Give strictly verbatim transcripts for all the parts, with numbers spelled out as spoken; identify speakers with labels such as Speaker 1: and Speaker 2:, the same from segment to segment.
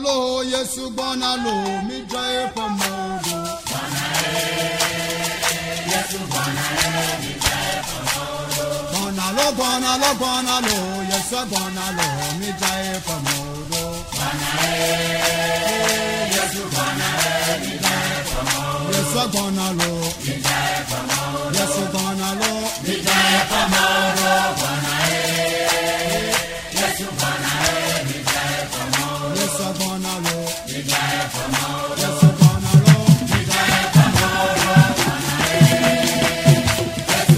Speaker 1: Lo, Yesu gbɔna lo, midza eƒe mɔwo ɖo. Gbɔna lo, gbɔna lo, gbɔna lo, Yesu gbɔna lo, midza eƒe mɔwo ɖo. Yesu gbɔna lo, Yesu gbɔna lo, midza eƒe mɔwo ɖo. Yesu gbɔna lo, Yesu gbɔna lo, midza eƒe mɔwo ɖo.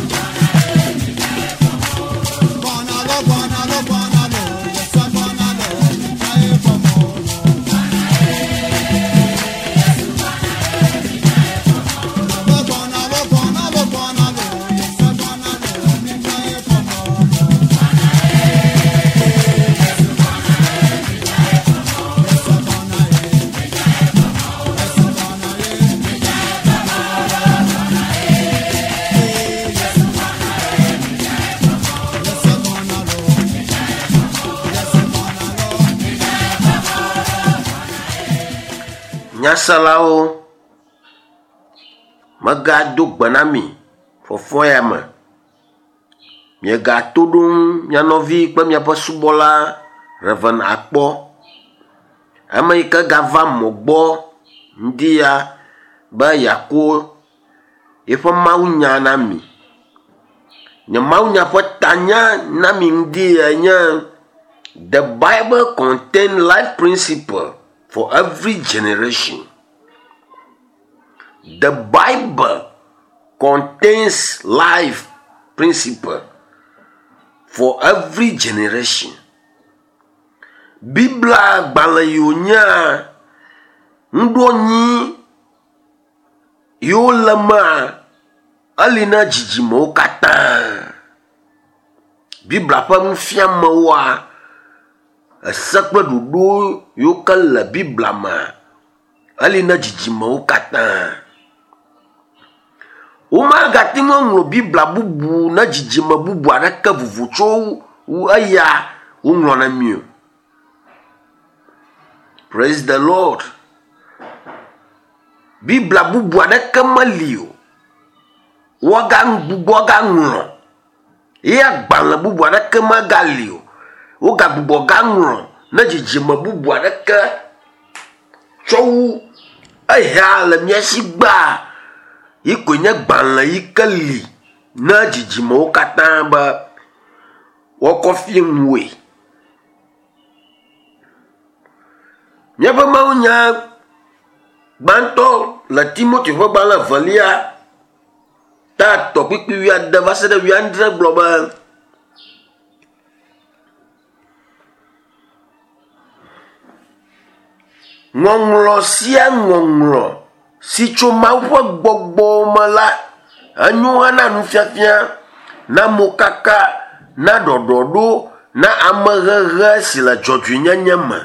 Speaker 1: Gbɔna lo, gbɔna lo, gbɔna lo, Yesu gbɔna lo, midza eƒe mɔwo ɖo. Gbɔna lo, gbɔna lo, gbɔna lo, Yesu gbɔna lo, midza eƒe mɔwo ɖo. Yesu gbɔna ye, Yesu gbɔna ye, midza eƒe mɔwo ɖo. Yesu gbɔna lo, Yesu gbɔna lo, midza eƒe mɔwo ɖo.
Speaker 2: Nyaselawo, megado gbe na mi fɔfɔ ya me. Miegato ɖom mia nɔvi kple miaƒe subɔla Reverend Akpɔ. Ame yi ke gava mɔ gbɔ ŋdi ya be yeako yeƒe mawunya na mi. Nye mawunya ƒe tanya na mi ŋdi ya nye The Bible contain life principle for every generation. The Bible contains life principle for every generation. Biblia gbalẽ yi wònyea nuɖoanyi yiwo le mea eli na dzidzimewo katã. Biblia ƒe nufiamewoa ese kple ɖoɖo yiwo ke le Biblia mea eli na dzidzimewo katã. Womagate ŋu aŋlɔ Biblia bubu na dzidzime bubu aɖeke vovo tso wu eya woŋlɔ na mi o. Praise the Lord. Biblia bubu aɖeke meli o. Woagagbugbɔ agaŋlɔ ye agbalẽ bubu aɖeke megali o. Wogagbugbɔ gaŋlɔ ne dzidzime bubu aɖeke tsɔ wu eya le mía si gbaa yi koe nye gbalẽ yi ke li na dzidzimewo katã be woakɔ fie ŋue. Míaƒe mawunya gbãtɔ le Timoteo ƒe gbalẽ evelia ta etɔ̃ kpukpui wuiade va se ɖe wuiadre gblɔ be ŋɔŋlɔ sia ŋɔŋlɔ si tso Mawu ƒe gbɔgbɔ me la enyo hena nufiafia, na mokaka, na ɖɔɖɔɖo, na amehehe si le dzɔdzɔenyenye me.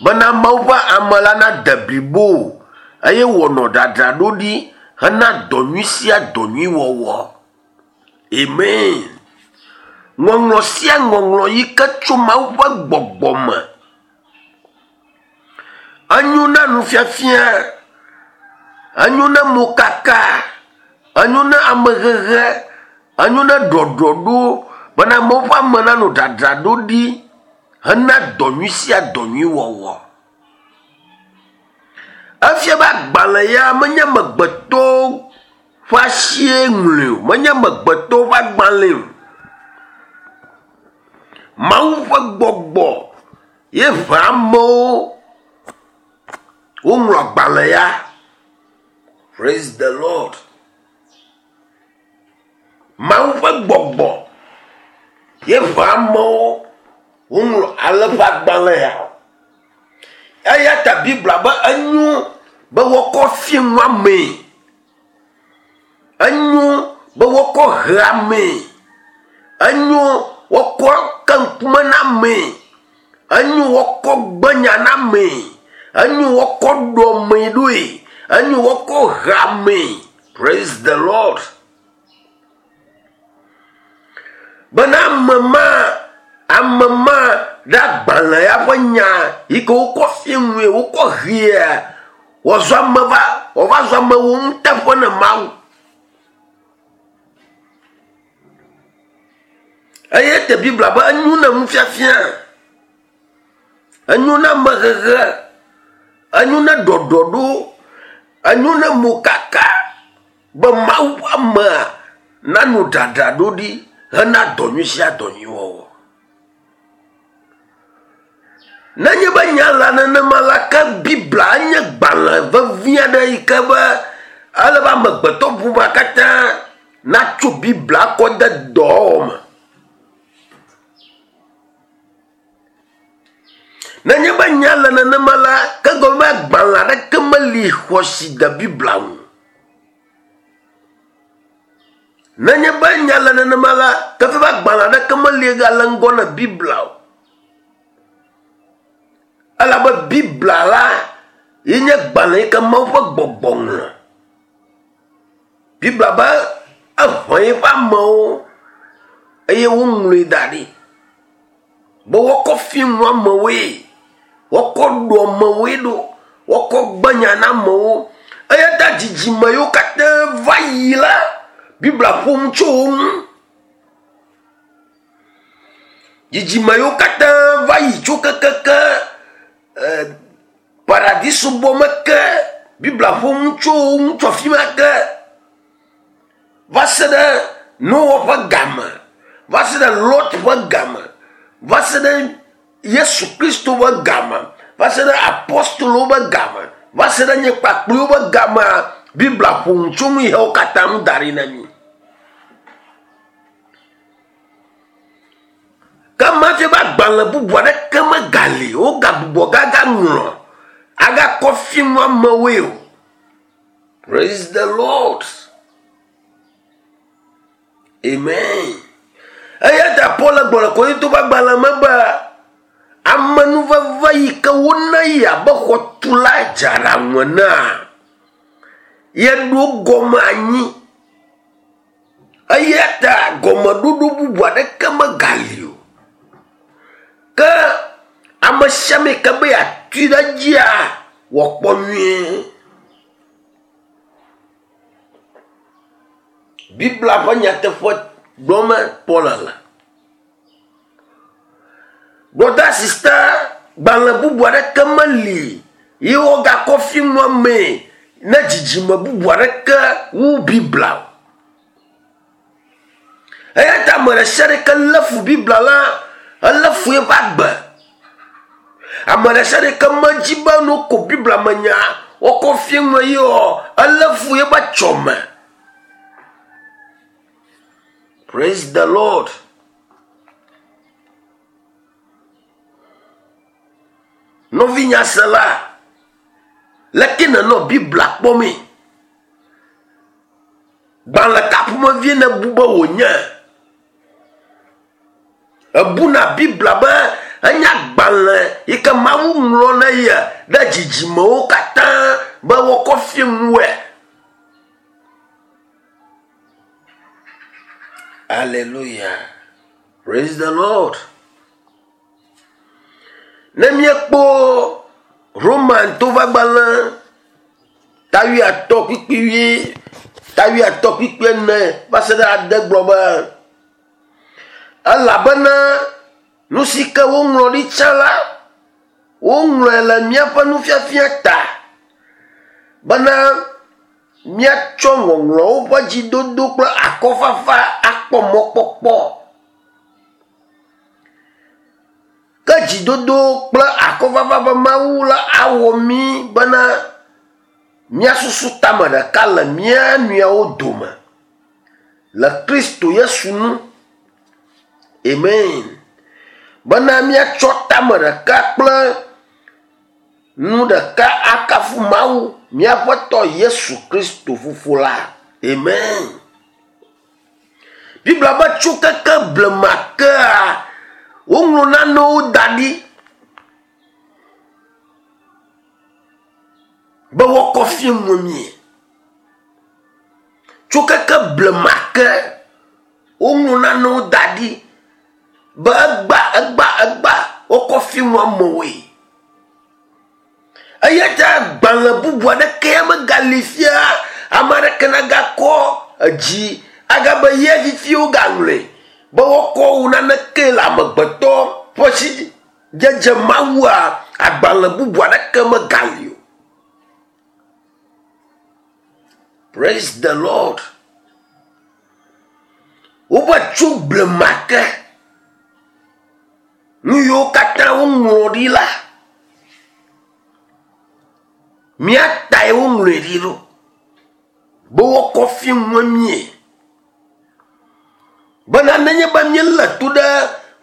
Speaker 2: Bena Mawu ƒe ame la nade blibo eye wòanɔ ɖaɖaɖo ɖi hena dɔ nyui sia dɔ nyui wɔwɔ. Amen. Ŋɔŋlɔ sia ŋɔŋlɔ yi ke tso Mawu ƒe gbɔgbɔ me enyo na nufiafia, enyo na mokaka, enyo na amehehe, enyo na ɖɔɖɔɖo bena Mawu ƒe ame nanɔ ɖaɖaɖo ɖi hena dɔ nyui sia dɔ nyui wɔwɔ. Efia be agbalẽ ya menye amegbetɔwo ƒe asie ŋlɔe o, menye amegbetɔwo ƒe agbalẽe o. Mawu ƒe gbɔgbɔ ye ʋã amewo woŋlɔ agbalẽ ya. Praise the Lord. Mawu ƒe gbɔgbɔ ye ʋã amewo woŋlɔ ale ƒe agbalẽ ya. Eya ta Biblia be enyo be woakɔ fie nu amee. Enyo be woakɔ he amee. Enyo woakɔ ke ŋkume na amee. Enyo woakɔ gbe nya na amee. Enyo woakɔ ɖɔ amee ɖoe. Enyo woakɔ he amee. Praise the Lord. Bena ame ma, ame ma Ɖe agbalẽ ya ƒe nya yi ke wokɔ fie ŋue wokɔ hea wòzu ame va wòva zu ame wo nuteƒe ne Mawu. Eye te Biblia be enyo na nufiafia, enyo na amehehe, enyo na ɖɔɖɔɖo, enyo na mokaka be Mawu ƒe amea nano dzadzraɖo ɖi hena dɔ nyui sia dɔ nyui wɔwɔ. Nenye be nya la nenema la ke Biblia nye gbalẽ vevi aɖe yi ke be ele be amegbetɔ ƒomea katã natso Biblia kɔ de dɔwɔwɔ me. Nenye be nya le nenema la ke gɔme be agbalẽ aɖeke meli xɔasi de Biblia ŋu. Nenye be nya le nenema la ke be agbalẽ aɖeke meli gale ŋgɔ na Biblia o. Elabe Biblia la ye nye gbalẽ yi ke Mawu ƒe gbɔgbɔ ŋlɔ. Biblia be eʋã eƒe amewo eye woŋlɔe da ɖi be woakɔ fie nu amewoe, woakɔ ɖo amewoe ɖo, woakɔ gbe nya na amewo. Eya ta dzidzime yiwo katã va yi la, Biblia ƒo nu tso wo ŋu. Dzidzime yiwo katã va yi tso kekeke paradiso bɔ me ke, Biblia ƒo nu tso wo ŋu tso afi ma ke va se ɖe Noa ƒe game, va se ɖe Lot ƒe game, va se ɖe Yesu Kristo ƒe game, va se ɖe apostolowo ƒe game, va se ɖe nye kpakpliwo ƒe gamea, Biblia ƒo nu tso nu yiwo katã ŋu da ɖi na mí. Ke mafia be agbalẽ bubu aɖeke megali wogagbugbɔ gagaŋlɔ agakɔ fie nu amewoe o. Praise the Lord. Amen. Eya ta Paul gblɔ le Korinto ƒe agbalẽ me be amenuveve yi ke wona yi abe xɔtula dzeaɖaŋu enea, yeɖo gɔme anyi. Eya ta gɔmeɖoɖo bubu aɖeke megali o. Ke ame sia ame yi ke be yeatui ɖe edzia, wòakpɔ nyuie. Biblia ƒe nyateƒe gblɔm Paul le. Brother, sister, gbalẽ bubu aɖeke meli ye wogakɔ fie nu amee ne dzidzime bubu aɖeke wu Biblia o. Eya ta ame ɖe sia ɖe ke lé fu Biblia la, elé fu eƒe agbe. Ame ɖe sia ɖe ke medzi be ne woko Biblia me nya wokɔ fie nu ye o, elé fu eƒe tsɔme. Praise the Lord. Nɔvinyasela, leke nenɔ Biblia kpɔmee? Gbalẽ ka ƒomevie nebu be wònye? Ebuna Biblia be enye agbalẽ yi ke Mawu ŋlɔ na ye ɖe dzidzimewo katã be woakɔ fie nuwoe. Hallelujah. Praise the Lord. Ne míekpɔ Roman to ƒe agbalẽ ta wuiatɔ̃ kpukpui wui ta wuiatɔ̃ kpukpui ene va se ɖe ade gblɔ be elabena nu si ke woŋlɔ ɖi tsã la, woŋlɔe le míaƒe nufiafia ta bena míatsɔ ŋɔŋlɔwo ƒe dzidodo kple akɔfafa akpɔ mɔkpɔkpɔ. Ke dzidodo kple akɔfafa ƒe Mawu la awɔ mí bena míasusu tame ɖeka le mía nɔewo dome le Kristo Yesu nu. Amen. Bena míatsɔ tame ɖeka kple nu ɖeka akafu Mawu míaƒe tɔ Yesu Kristo fofo la. Amen. Biblia be tso keke blema kea woŋlɔ nanewo da ɖi be woakɔ fie nu mí. Tso keke blema ke woŋlɔ nanewo da ɖi be egba egba egba wokɔ fi nu amewoe. Eya ta agbalẽ bubu aɖeke ya megali fia ame aɖeke nagakɔ edzi agabe ye fifi wogaŋlɔe be woakɔ wo naneke le amegbetɔ ƒe si dzedze mawua agbalẽ bubu aɖeke megali o. Praise the Lord. Wobe tso blema ke nu yiwo katã woŋlɔ ɖi la míatae woŋlɔe ɖi ɖo be woakɔ fi ŋue mie. Bena nenye be míelé to ɖe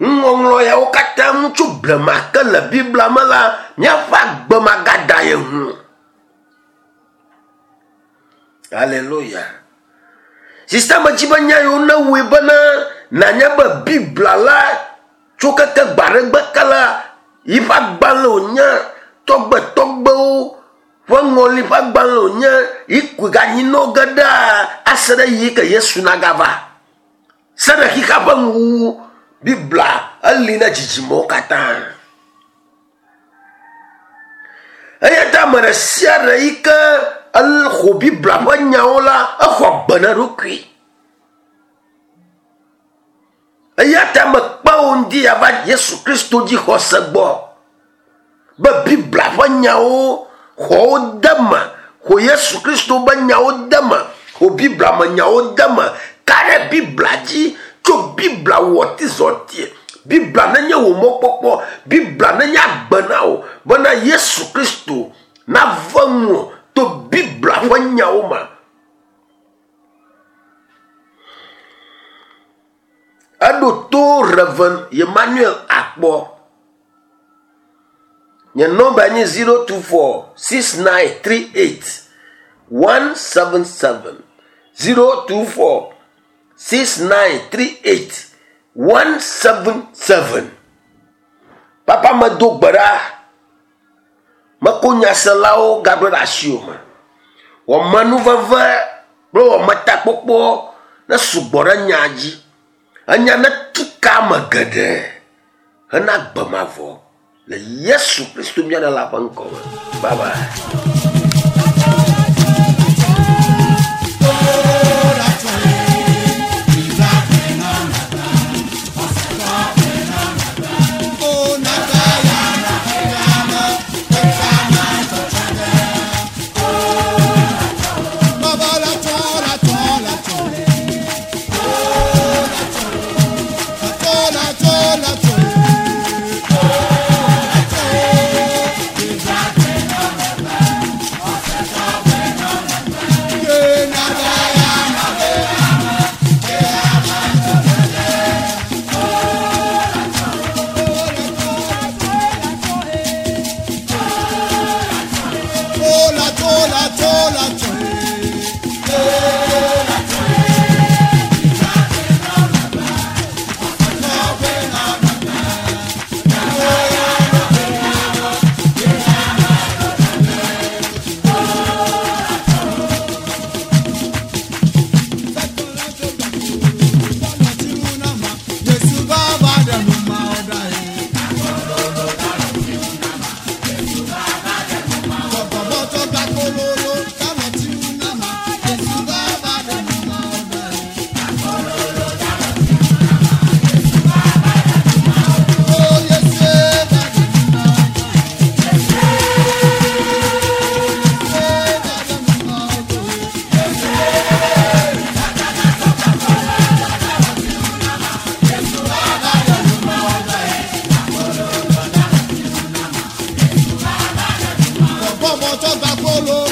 Speaker 2: nuŋɔŋlɔ yawo katã ŋu tso blema ke le Biblia me la, míaƒe agbe magada ye ŋu. Alléluia. Sista medzi be nya yiwo newɔe bena nanya be Biblia la tso keke gbe aɖe gbe ke la yiƒe agbalẽ wònye tɔgbetɔgbewo ƒe ŋɔli ƒe agbalẽ wònye yi koe ganyinɔ ge ɖaa ase ɖe yi ke Yesu nagava. Se ɖe xixea ƒe nuwuwu Biblia eli na dzidzimewo katã. Eya ta ame ɖe sia ɖe yi ke exɔ Biblia ƒe nyawo la, exɔ gbe na eɖokui. Eya ta mekpe wò ŋdi ava Yesu Kristo dzi xɔse gbɔ be Biblia ƒe nyawo xɔ wo de me, xɔ Yesu Kristo be nyawo de me, xɔ Biblia me nyawo de me, ka ɖe Biblia dzi tso Biblia wɔ tizɔtie. Biblia nenye wò mɔkpɔkpɔ, Biblia nenye agbe na wò bena Yesu Kristo nave ŋuwò to Biblia ƒe nyawo me. Eɖo to Reverend Emmanuel Akpɔ. Nye nɔmba nye zero two four six nine three eight one seven seven zero two four six nine three eight one seven seven. Papa medo gbe ɖa. Meko nyaselawo gagblɔ ɖe asiwò me. Wɔmenuveve kple wɔmetakpɔkpɔ ne sugbɔ ɖe nya dzi. Enya ne tu ka ame geɖe hena gbe mavɔ le Yesu Kristo mía Ɖela ƒe ŋkɔ me. Bye bye.
Speaker 1: Bọ́bọ̀ tó gba kóló.